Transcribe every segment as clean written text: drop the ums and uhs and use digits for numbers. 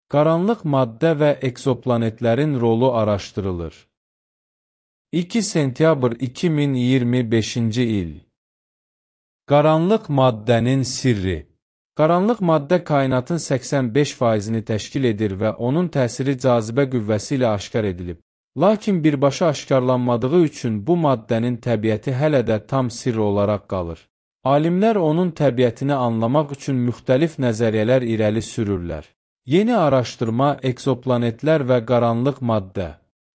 Qaranlıq maddə və eksoplanetlərin rolu araşdırılır. 2 sentyabr 2025-ci il. Qaranlıq maddənin sirri. Qaranlıq maddə kainatın 85%-ni təşkil edir və onun təsiri cazibə qüvvəsi ilə aşkar edilib. Lakin birbaşa aşkarlanmadığı üçün bu maddənin təbiəti hələ də tam sirr olaraq qalır. Alimlər onun təbiətini anlamaq üçün müxtəlif nəzəriyyələr irəli sürürlər. Yeni araşdırma, eksoplanetlər və qaranlıq maddə.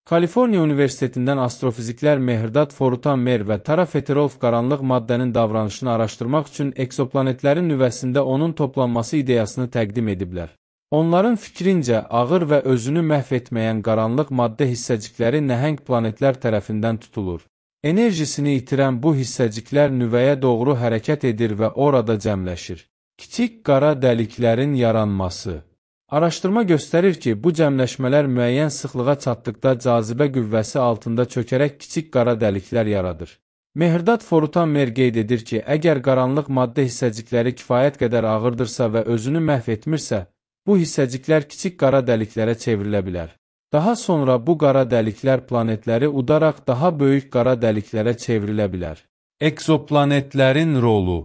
Kaliforniya Universitetindən astrofiziklər Mehrdad Forutan-Mer və Tara Feterolf qaranlıq maddənin davranışını araşdırmaq üçün eksoplanetlərin nüvəsində onun toplanması ideyasını təqdim ediblər. Onların fikrincə, ağır və özünü məhv etməyən qaranlıq maddə hissəcikləri nəhəng planetlər tərəfindən tutulur. Enerjisini itirən bu hissəciklər nüvəyə doğru hərəkət edir və orada cəmləşir. Kiçik qara dəliklərin yaranması. Araşdırma göstərir ki, bu cəmləşmələr müəyyən sıxlığa çatdıqda cazibə qüvvəsi altında çökərək kiçik qara dəliklər yaradır. Mehrdad Forutan-Mer qeyd edir ki, əgər qaranlıq maddə hissəcikləri kifayət qədər ağırdırsa və özünü məhv etmirsə, bu hissəciklər kiçik qara dəliklərə çevrilə bilər. Daha sonra bu qara dəliklər planetləri udaraq daha böyük qara dəliklərə çevrilə bilər. Eksoplanetlərin rolu.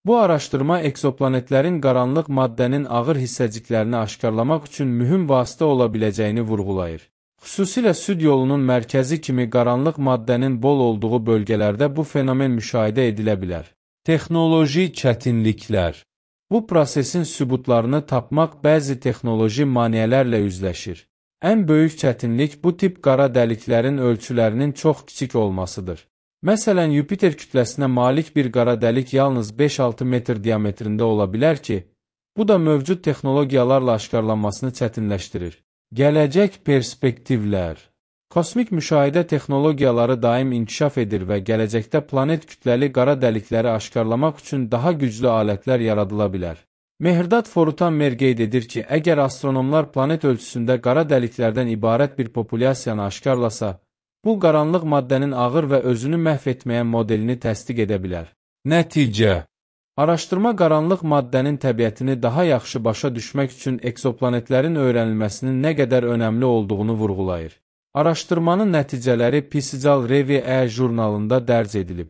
Bu araşdırma eksoplanetlərin qaranlıq maddənin ağır hissəciklərini aşkarlamaq üçün mühüm vasitə ola biləcəyini vurğulayır. Xüsusilə süd yolunun mərkəzi kimi qaranlıq maddənin bol olduğu bölgələrdə bu fenomen müşahidə edilə bilər. Texnoloji çətinliklər. Bu prosesin sübutlarını tapmaq bəzi texnoloji maneələrlə üzləşir. Ən böyük çətinlik bu tip qara dəliklərin ölçülərinin çox kiçik olmasıdır. Məsələn, Yupiter kütləsinə malik bir qara dəlik yalnız 5-6 metr diametrində ola bilər ki, bu da mövcud texnologiyalarla aşkarlanmasını çətinləşdirir. Gələcək perspektivlər. Kosmik müşahidə texnologiyaları daim inkişaf edir və gələcəkdə planet kütləli qara dəlikləri aşkarlamaq üçün daha güclü alətlər yaradıla bilər. Mehrdad Forutan-Mer qeyd edir ki, əgər astronomlar planet ölçüsündə qara dəliklərdən ibarət bir populyasiyanı aşkarlasa, bu qaranlıq maddənin ağır və özünü məhv etməyən modelini təsdiq edə bilər. Nəticə. Araşdırma qaranlıq maddənin təbiətini daha yaxşı başa düşmək üçün eksoplanetlərin öyrənilməsinin nə qədər önəmli olduğunu vurğulayır. Araşdırmanın nəticələri Physical Review jurnalında dərc edilib.